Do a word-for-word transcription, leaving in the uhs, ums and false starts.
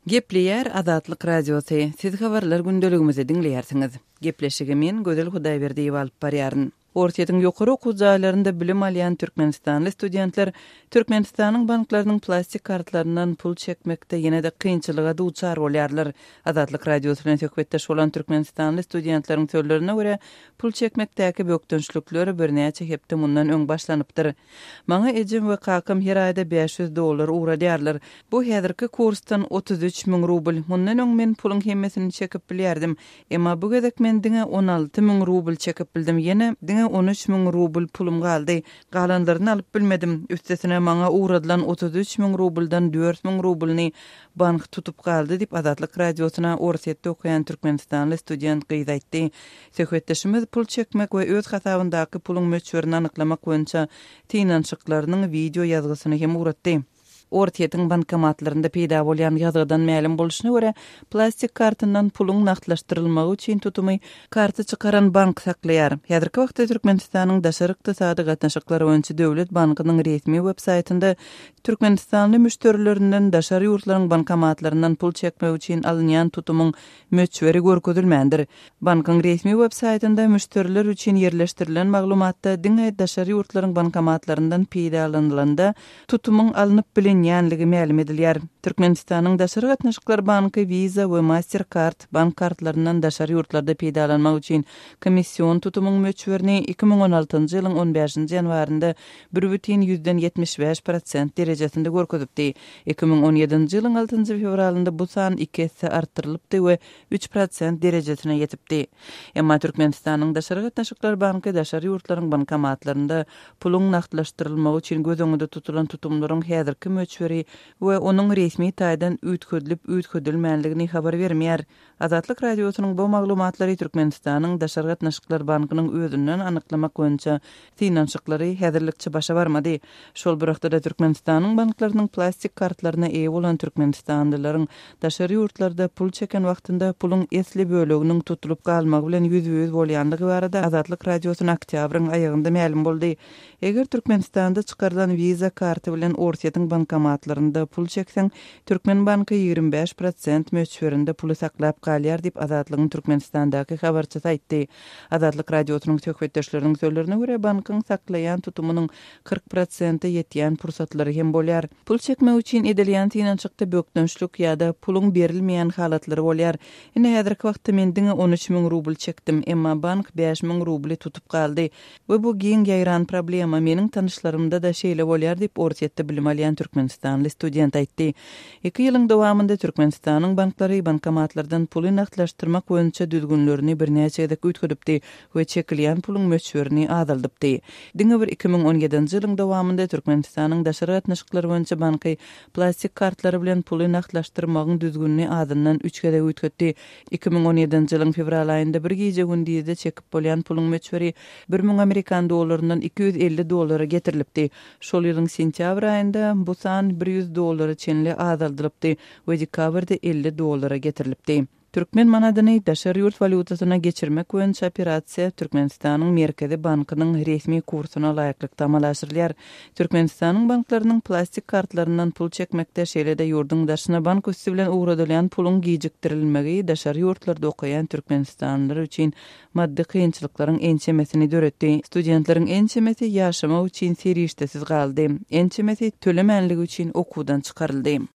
Gepleýär Azatlyk Radiosy. Siz habarlar gündeligimizi diňleýärsiňiz. Gepleşigi men Gözel Hudaýberdiýewa alyp barýaryn. Orsýetiň ýokary okuw jaýlarynda bilim alýan türkmenistanly studentler Türkmenistanyň banklarynyň plastik kartlaryndan pul çekmekde ýene-de kynçylyga duçar bolýarlar. Azatlyk Radiosy bilen söhbetdeş bolan türkmenistanly studentleriň sözlerine görä, pul çekmekdäki bökdençlikler birnäçe hepde mundan öň başlanypdyr. Maňa ejem we kakam her aýda bäş ýüz dollar ugradýarlar. Bu häzirki kursdan otuz üç müň rubl. Mundan öň men puluň hemmesini çekip bilýärdim. Emma bu gezek men diňe on alty müň rubl çekip bildim. Ýene diňe on üç müň rubl pulum galdy. Galanlaryny alyp bilmedim. Üstesine maňa ugradylan otuz üç müň rubldan dört müň rublyny bank tutup galdy diýip Azatlyk Radiosyna Orsýetde okaýan türkmenistanly student gyz aýtdy. Söhbetdeşimiz pul çekmek we öz hasabyndaky puluň möçberini anyklamak boýunça synanyşyklarynyň wideo ýazgysyny hem ugratdy. Orsýetiň bankomatlarynda peýda bolýan ýazgydan mälim bolşuna görä, plastik kartyndan puluň nagtlaşdyrylmagy üçin tutumy karty çykaran bank saklaýar. Häzirki wagtda Türkmenistanyň daşary ykdysady gatnaşyklary boýunça Döwlet bankynyň resmi web-saýtynda türkmenistanly müşderilerinden daşary ýurtlaryň bankomatlaryndan pul çekmek üçin alynýan tutumyň möçberi görkezilmändir. Bankyň resmi web-saýtynda müşderiler üçin ýerleşdirilen maglumatda diňe daşary ýurtlaryň bankomatlaryndan peýdalanylanda tutumyň alnyp bilinýänligi mälim edilýär. Türkmenistanyň Daşary gatnaşyklar banky Visa we Mastercard bank kartlaryndan daşary ýurtlarda peýdalanmak üçin komission tutumyň möçberini iki müň on altynjy ýylyň on bäşinji ýanwarynda bir bütin ýüzden ýetmiş bäş prosent derejesinde görkezipdi. Iki müň on ýedinji ýylyň altynjy fewralynda bu san iki esse artdyrylypdy we üç prosent derejesine ýetipdi. Emma Türkmenistanyň Daşary gatnaşyklar banky daşary ýurtlaryň bankomatlarynda puluň nagtlaşdyrylmagy üçin göz öňünde tutulan tutumlaryň häzirki möçberi we onuň resmi taýdan üýtgedilip üýtgedilmänligini habar bermeýär. Azatlyk Radiosynyň bu maglumatlary Türkmenistanyň Daşary gatnaşyklar bankynyň özünden anyklamak boýunça synanyşyklary häzirlikçe başa barmady. Şol bir wagtda Türkmenistanyň banklarynyň plastik kartlaryna eýe bolan türkmenistanlylaryň daşary ýurtlarda pul çeken wagtynda puluň esli böleginiň tutulyp galmagy bilen ýüzbe-ýüz bolýanlygy barada Azatlyk Radiosyna oktýabryň aýagynda mälim boldy. Eger Türkmenistanda çykarylan Visa karty bilen Orsýetiň bankomatlarynda pul çekseň, Türkmen banky ýigrimi bäş prosent möçberinde puly saklap galýar diýip Azatlygyň Türkmenistandaky habarçysy aýtdy. Azatlyk Radiosynyň söhbetdeşleriniň sözlerine görä, bankyň saklaýan tutumynyň kyrk prosente ýetýän pursatlary hem bolýar. Pul çekmek üçin edilýän synanyşykda bökdençlik ýa-da puluň berilmeýän halatlary bolýar. Ine häzirki wagtda men diňe on üç müň rubl çekdim, emma bank bäş müň rubly tutup galdy. We bu giň ýaýran problema meniň tanyşlarymda da şeýle bolýar diýip Orsýetde bilim alýan türkmenistanly student aýtdy. Iki ýylyň dowamynda Türkmenistanyň banklary bankomatlardan puly nagtlaşdyrmak boýunça düzgünlerini birnäçe gezek üýtgedipdi we çekilýän puluň möçberini azaldypdy. Diňe bir iki müň on ýedinji ýylyň dowamynda Türkmenistanyň daşary gatnaşyklary boýunça banky plastik kartlary bilen puly nagtlaşdyrmagyň düzgünini azyndan üç gezek üýtgetdi. Iki müň on ýedinji ýylyň fewral aýynda bir gije gündizde çekip bolýan puluň möçberi bir müň amerikan dollaryndan iki ýüz elli dollara getirilipdi. Şol ýylyň sentýabr aýynda bu san bir ýüz dollara çenli azaldylypdy we dekabrda elli dollara getirilipdi. Türkmen manadyny daşary ýurt walýutasyna geçirmek boýunça operasiýa Türkmenistanyň Merkezi bankynyň resmi kursuna laýyklykda amala aşyrylýar. Türkmenistanyň banklarynyň plastik kartlaryndan pul çekmekde, şeýle-de ýurduň daşyna bank üsti bilen ugradylýan puluň gijikdirilmegi daşary ýurtlarda okaýan türkmenistanlylar üçin maddy kynçylyklaryň ençemesini döretdi. Studentleriň ençemesi ýaşamak üçin serişdesiz galdy. Ençemesi tölemänligi üçin okuwdan çykaryldy.